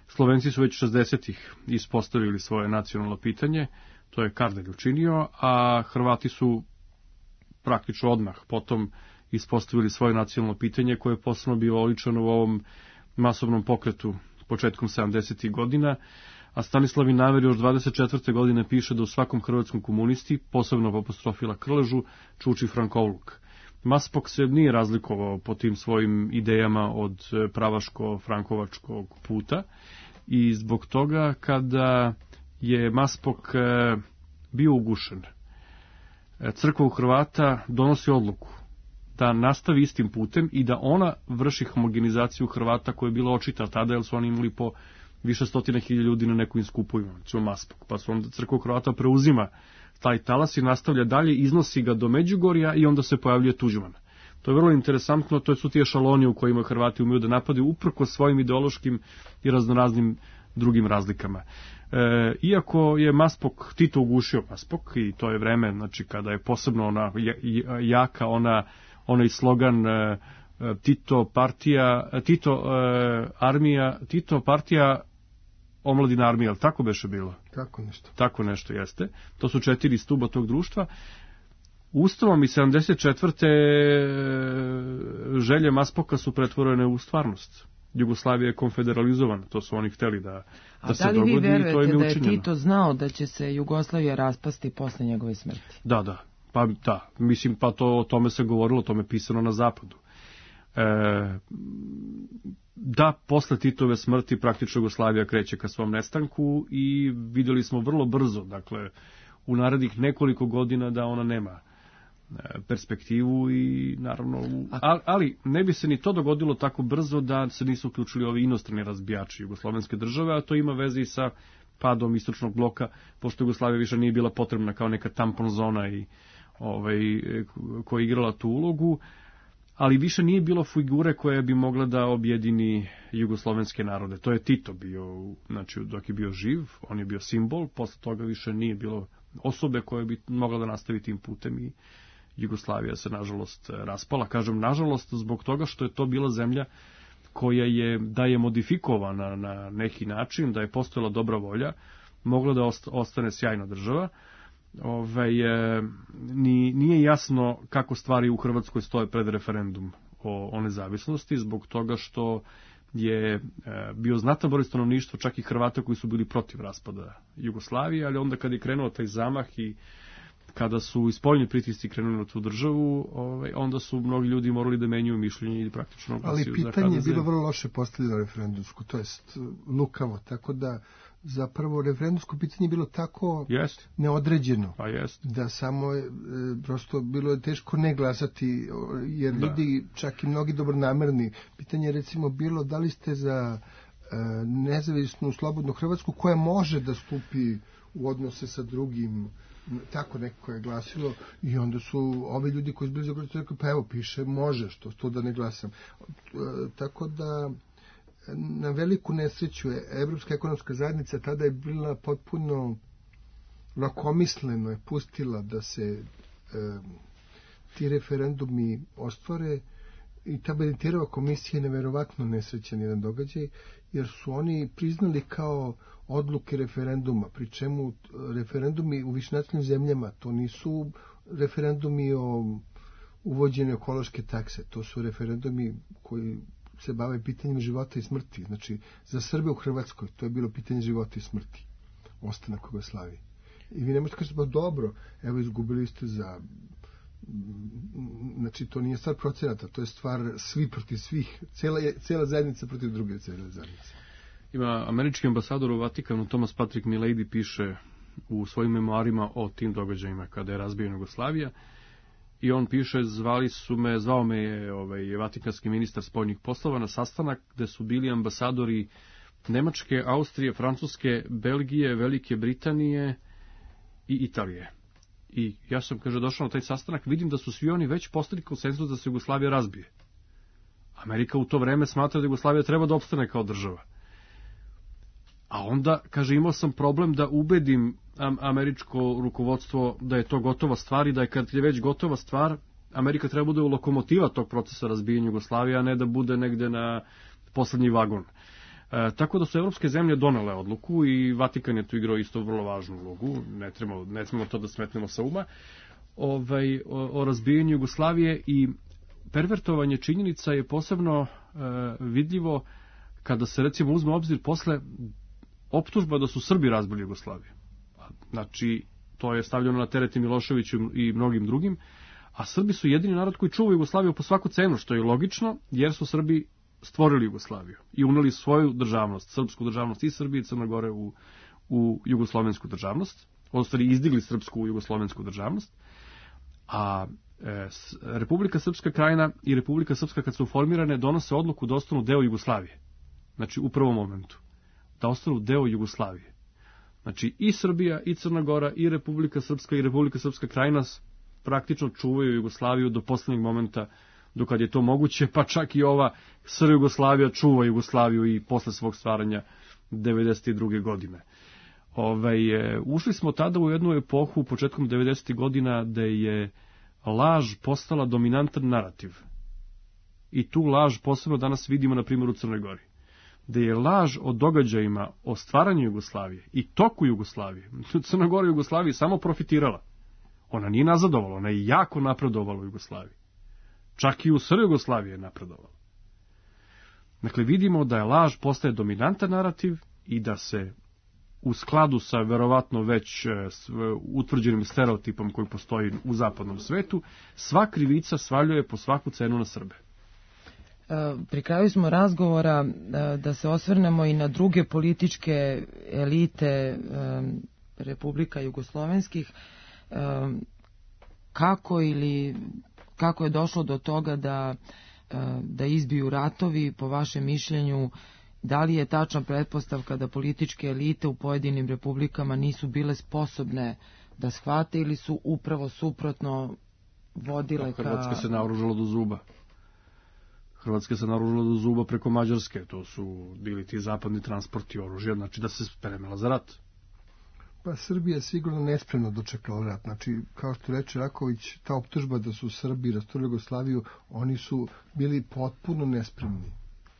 Slovenci su već 60-ih ispostavili svoje nacionalno pitanje, to je Kardelj učinio, a Hrvati su praktično odmah potom ispostavili svoje nacionalno pitanje koje je posebno bilo oličeno u ovom masovnom pokretu početkom 70. godina, a Stanislav Inaver još 24. godine piše da u svakom hrvatskom komunisti, posebno po apostrofila Krležu, čuči frankovoluk. Maspok se nije razlikovao po tim svojim idejama od pravaško-frankovačkog puta i zbog toga kada je Maspok bio ugušen, crkva u Hrvata donosi odluku da nastavi istim putem i da ona vrši homogenizaciju Hrvata koja je bila očita tada, jer su oni imali po više stotina hiljada ljudi na nekim skupovima, znači Maspok. Pa su onda crkva Hrvata preuzima taj talas i nastavlja dalje, iznosi ga do Međugorja i onda se pojavljuje Tuđman. To je vrlo interesantno, to su ti ešaloni u kojima Hrvati umeju da napadaju uprkos svojim ideološkim i raznoraznim drugim razlikama. Iako je Maspok, Tito ugušio Maspok, i to je vreme, znači kada je posebno ona jaka, onaj slogan Tito partija, omladina armija, ali tako beše bilo? Tako nešto jeste. To su 4 stuba tog društva. Ustavom i 74. želje Maspoka su pretvorene u stvarnost. Jugoslavija je konfederalizovana, to su oni hteli da se dogodi i to im je učinjeno. A da li vi verujete da je Tito znao da će se Jugoslavija raspasti posle njegove smrti? Da, mislim, pa o tome se govorilo, o tome pisano na zapadu. Da, posle Titove smrti praktično Jugoslavija kreće ka svom nestanku i vidjeli smo vrlo brzo, dakle, u narednih nekoliko godina da ona nema perspektivu i naravno, ali ne bi se ni to dogodilo tako brzo da se nisu uključili ovi inostrani razbijači jugoslovenske države, a to ima veze i sa padom istočnog bloka, pošto Jugoslavija više nije bila potrebna kao neka tampon zona i koja je igrala tu ulogu, ali više nije bilo figure koja bi mogla da objedini jugoslovenske narode. To je Tito bio, znači dok je bio živ, on je bio simbol, posle toga više nije bilo osobe koja bi mogla da nastavi tim putem i Jugoslavija se nažalost raspala. Kažem nažalost zbog toga što je to bila zemlja koja je, da je modifikovana na neki način, da je postojala dobra volja, mogla da ostane sjajna država. Nije jasno kako stvari u Hrvatskoj stoje pred referendum o nezavisnosti, zbog toga što je bio znatan broj stanovništva, čak i Hrvata koji su bili protiv raspada Jugoslavije, ali onda kad je krenuo taj zamah i kada su i spoljni pritisci krenuli na tu državu, onda su mnogi ljudi morali da menjuju mišljenje i praktično glasio za HDZ. Ali pitanje je bilo vrlo loše postavljeno referendumsko, to jest lukavo, tako da zapravo referendumsko pitanje je bilo tako neodređeno, da samo prosto bilo je teško ne glasati, jer ljudi, čak i mnogi dobronamerni, pitanje je recimo bilo da li ste za nezavisnu slobodnu Hrvatsku koja može da stupi u odnose sa drugim, tako neko je glasilo, i onda su ovi ljudi koji su bili za rekli, pa evo piše može, što da ne glasam. Tako da na veliku nesreću je Evropska ekonomska zajednica tada je bila potpuno lakomisleno je pustila da se ti referendumi ostvare, i ta Beniterova komisija je neverovatno nesrećan jedan događaj, jer su oni priznali kao odluke referenduma, pri čemu referendumi u višenacionalnim zemljama, to nisu referendumi o uvođenju ekološke takse, to su referendumi koji se bave pitanjem života i smrti. Znači, za Srbe u Hrvatskoj to je bilo pitanje života i smrti, ostanak Jugoslavije. I vi ne možete kažete, pa dobro, evo izgubili ste za... Znači, to nije stvar procenata, to je stvar svi protiv svih, cijela zajednica protiv druge cijele zajednice. Ima američki ambasador u Vatikanu, Thomas Patrick Milady, piše u svojim memoarima o tim događajima kada je razbijena Jugoslavija, i on piše, zvao me je vatikanski ministar spoljnih poslova na sastanak gde su bili ambasadori Nemačke, Austrije, Francuske, Belgije, Velike Britanije i Italije. I ja sam, kaže, došao na taj sastanak, vidim da su svi oni već postigli konsenzus da se Jugoslavija razbije. Amerika u to vreme smatra da Jugoslavija treba da opstane kao država. A onda, kaže, imao sam problem da ubedim američko rukovodstvo da je to gotova stvar i da je, kad je već gotova stvar, Amerika treba bude lokomotiva tog procesa razbijanja Jugoslavije, a ne da bude negde na poslednji vagon. Tako da su evropske zemlje donele odluku i Vatikan je tu igrao isto vrlo važnu ulogu, ne trebamo to da smetnemo sa uma, o razbijanju Jugoslavije, i pervertovanje činjenica je posebno vidljivo kada se recimo uzme obzir posle optužba da su Srbi razbili Jugoslaviju. Znači, to je stavljeno na teret Miloševiću i mnogim drugim, a Srbi su jedini narod koji čuva Jugoslaviju po svaku cenu, što je logično, jer su Srbi stvorili Jugoslaviju i uneli svoju državnost, srpsku državnost i Srbije i Crne Gore u jugoslovensku državnost, odnosno izdigli srpsku u jugoslovensku državnost, a Republika Srpska Krajina i Republika Srpska, kad su formirane, donose odluku da ostanu deo Jugoslavije. Znači, u prvom momentu. Da ostanu deo Jugoslavije. Znači, i Srbija, i Crna Gora, i Republika Srpska Krajina praktično čuvaju Jugoslaviju do poslednjeg momenta dokad je to moguće, pa čak i ova SR Jugoslavija čuva Jugoslaviju i posle svog stvaranja 92. godine. Ušli smo tada u jednu epohu početkom 90. godina da je laž postala dominantan narativ. I tu laž posebno danas vidimo na primjer u Crnoj Gori. Da je laž o događajima, o stvaranju Jugoslavije i toku Jugoslavije. Crna Gora Jugoslavije samo profitirala. Ona nije nazadovala, ona je jako napredovala u Jugoslaviji. Čak i u SR Jugoslaviji je napredovala. Dakle, vidimo da je laž postaje dominantan narativ i da se u skladu sa verovatno već utvrđenim stereotipom koji postoji u zapadnom svetu, sva krivica svaljuje po svaku cenu na Srbe. Pri kraju smo razgovora da se osvrnemo i na druge političke elite Republika Jugoslovenskih. Kako je došlo do toga da izbiju ratovi, po vašem mišljenju, da li je tačna pretpostavka da političke elite u pojedinim republikama nisu bile sposobne da shvate ili su upravo suprotno vodile ka... Hrvatska se naoružala do zuba. Hrvatska se naoružala do zuba preko Mađarske, to su bili ti zapadni transporti oružja, znači da se spremila za rat. Pa Srbija je sigurno nespremno dočekala rat. Znači, kao što reče Raković, ta optužba da su Srbi rasturili Jugoslaviju, oni su bili potpuno nespremni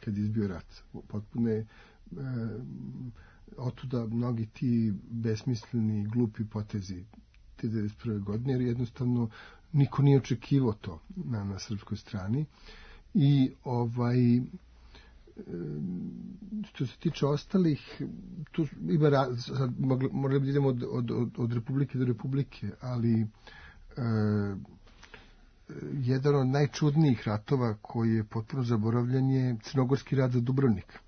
kad je izbio rat. Potpuno je otuda mnogi ti besmisleni, glupi potezi te 1991. godine, jer jednostavno niko nije očekivao to na srpskoj strani. I što se tiče ostalih, tu ima morali bi idemo od republike do republike, ali jedan od najčudnijih ratova koji je potpuno zaboravljen je Crnogorski rat za Dubrovnik.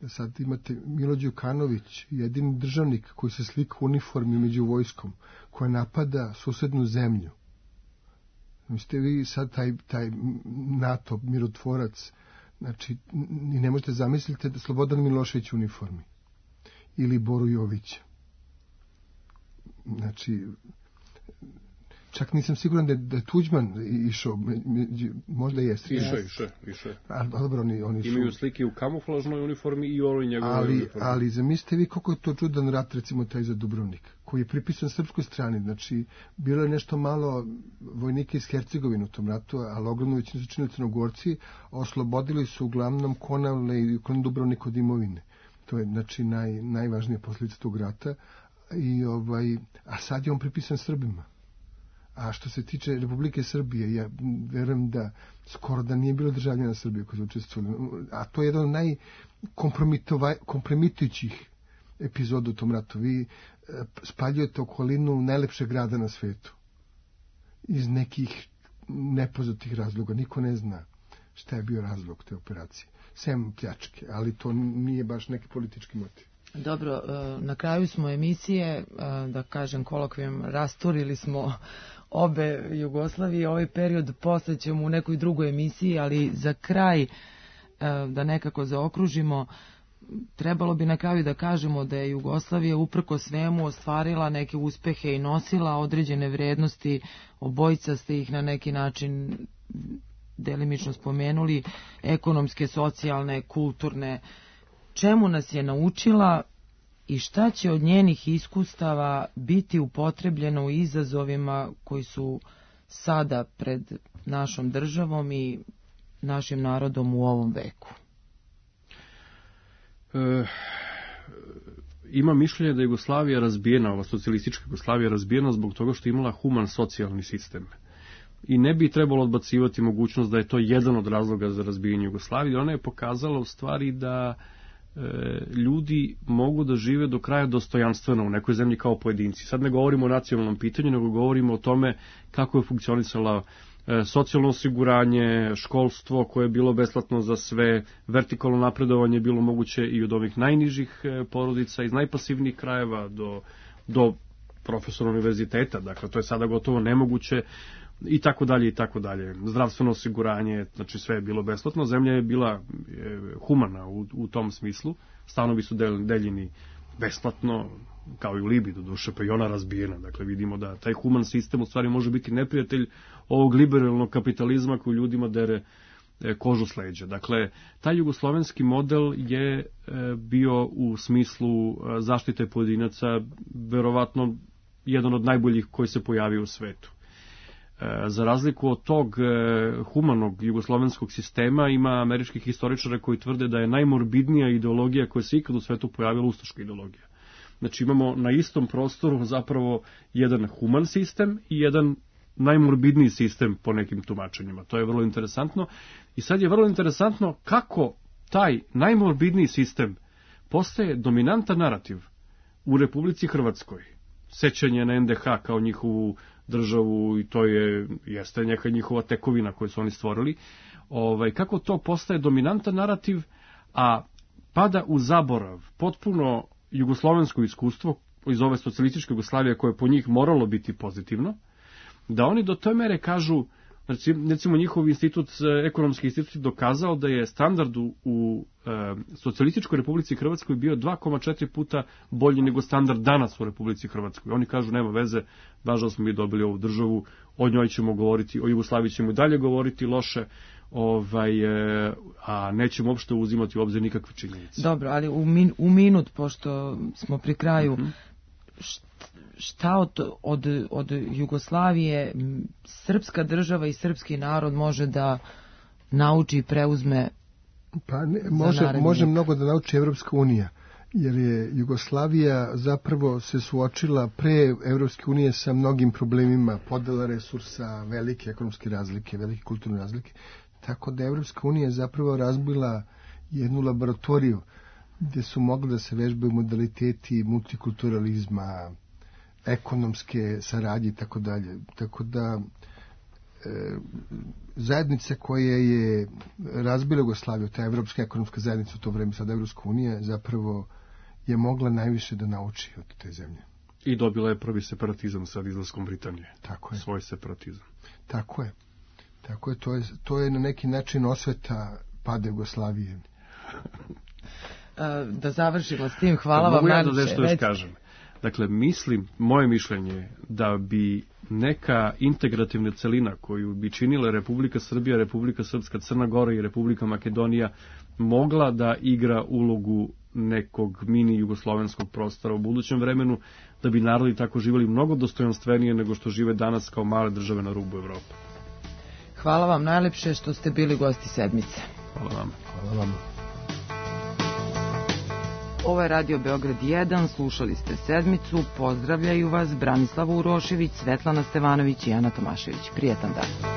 Sad imate Milo Đukanović, jedini državnik koji se slika u uniformi među vojskom, koja napada susednu zemlju. Mislite vi sad taj NATO mirotvorac, znači ne možete zamisliti da Slobodan Milošević u uniformi ili Boru Jovića. Znači, čak nisam siguran da je Tuđman išao, možda jeste. Išao. Dobro, oni su... Imaju slike u kamuflažnoj uniformi i ovoj njegovoj uniformi. Ali zamislite vi koliko je to čudan rat, recimo taj za Dubrovnik, koji je pripisan srpskoj strani. Znači, bilo je nešto malo vojnika iz Hercegovine u tom ratu, ali ogromno većinu su činili Crnogorci, oslobodili su uglavnom Konavle i Dubrovnik od imovine. To je, znači, najvažnija posljedica tog rata. A sad je on pripisan Srbima. A što se tiče Republike Srbije, ja verujem da skoro da nije bilo državljana Srbije koji su učestvovali. A to je jedan od najkompromitujućih epizoda u tom ratu. Vi spaljujete okolinu najlepšeg grada na svetu. Iz nekih nepoznatih razloga. Niko ne zna šta je bio razlog te operacije. Sem pljačke, ali to nije baš neki politički motiv. Dobro, na kraju smo emisije, da kažem kolokvijem, rasturili smo obe Jugoslavije. Ovaj period posle ćemo u nekoj drugoj emisiji, ali za kraj, da nekako zaokružimo, trebalo bi na kraju da kažemo da je Jugoslavija uprko svemu ostvarila neke uspehe i nosila određene vrednosti. Obojica ste ih na neki način delimično spomenuli, ekonomske, socijalne, kulturne. Čemu nas je naučila i šta će od njenih iskustava biti upotrebljeno u izazovima koji su sada pred našom državom i našim narodom u ovom veku? Ima mišljenje da je Jugoslavija razbijena, ova socijalistička Jugoslavija razbijena zbog toga što je imala human socijalni sistem. I ne bi trebalo odbacivati mogućnost da je to jedan od razloga za razbijanje Jugoslavije. Ona je pokazala u stvari da ljudi mogu da žive do kraja dostojanstveno u nekoj zemlji kao pojedinci. Sad ne govorimo o nacionalnom pitanju, nego govorimo o tome kako je funkcionisala socijalno osiguranje, školstvo koje je bilo besplatno za sve, vertikalno napredovanje je bilo moguće i od ovih najnižih porodica, iz najpasivnijih krajeva do profesora univerziteta. Dakle, to je sada gotovo nemoguće. I tako dalje, i tako dalje. Zdravstveno osiguranje, znači sve je bilo besplatno. Zemlja je bila humana u tom smislu. Stanovi su deljeni besplatno, kao i u Libiji, do duše, pa i ona razbijena. Dakle, vidimo da taj human sistem u stvari može biti neprijatelj ovog liberalnog kapitalizma koji ljudima dere kožu s leđa. Dakle, taj jugoslovenski model je bio u smislu zaštite pojedinaca verovatno jedan od najboljih koji se pojavio u svetu. Za razliku od tog humanog jugoslovenskog sistema ima američkih historičara koji tvrde da je najmorbidnija ideologija koja se ikad u svetu pojavila ustaška ideologija. Znači imamo na istom prostoru zapravo jedan human sistem i jedan najmorbidniji sistem po nekim tumačenjima. To je vrlo interesantno. I sad je vrlo interesantno kako taj najmorbidniji sistem postaje dominantan narativ u Republici Hrvatskoj. Sećanje na NDH kao njihovu državu i to jeste neka njihova tekovina koju su oni stvorili. Kako to postaje dominantan narativ, a pada u zaborav potpuno jugoslovensko iskustvo iz ove socijalističke Jugoslavije koje je po njih moralo biti pozitivno, da oni do toj mere kažu, recimo njihov institut, ekonomski institut dokazao da je standard u socijalističkoj Republici Hrvatskoj bio 2,4 puta bolji nego standard danas u Republici Hrvatskoj. Oni kažu nema veze, važno smo mi dobili ovu državu, o njoj ćemo govoriti, o Jugoslaviji ćemo i dalje govoriti loše, a nećemo uopšte uzimati u obzir nikakve činjenice. Dobro, ali u minut, pošto smo pri kraju, šta od Jugoslavije srpska država i srpski narod može da nauči i preuzme? Pa može mnogo da nauči Evropska unija, jer je Jugoslavija zapravo se suočila pre Evropske unije sa mnogim problemima, podela resursa, velike ekonomske razlike, velike kulturne razlike, tako da Evropska unija zapravo razbila jednu laboratoriju gdje su mogli da se vežbaju modaliteti multikulturalizma, ekonomske saradnje i tako dalje. Tako da zajednica koja je razbila Jugoslaviju, ta Evropska ekonomska zajednica u to vreme, sad Evropska unija, zapravo je mogla najviše da nauči od te zemlje. I dobila je prvi separatizam sad izlaskom Britanije. Tako je. Svoj separatizam. Tako je. To je na neki način osveta pada Jugoslavije. Da završimo s tim, hvala vam. Mogu ja da nešto još kažem. Dakle, moje mišljenje je da bi neka integrativna celina koju bi činila Republika Srbija, Republika Srpska, Crna Gora i Republika Makedonija mogla da igra ulogu nekog mini jugoslovenskog prostora u budućem vremenu, da bi narodi tako živjeli mnogo dostojanstvenije nego što žive danas kao male države na rubu Evrope. Hvala vam najlepše što ste bili gosti sedmice. Hvala vam. Hvala vam. Ovo je Radio Beograd 1, slušali ste sedmicu, pozdravljaju vas Branislava Urošević, Svetlana Stevanović i Ana Tomašević. Prijetan dan.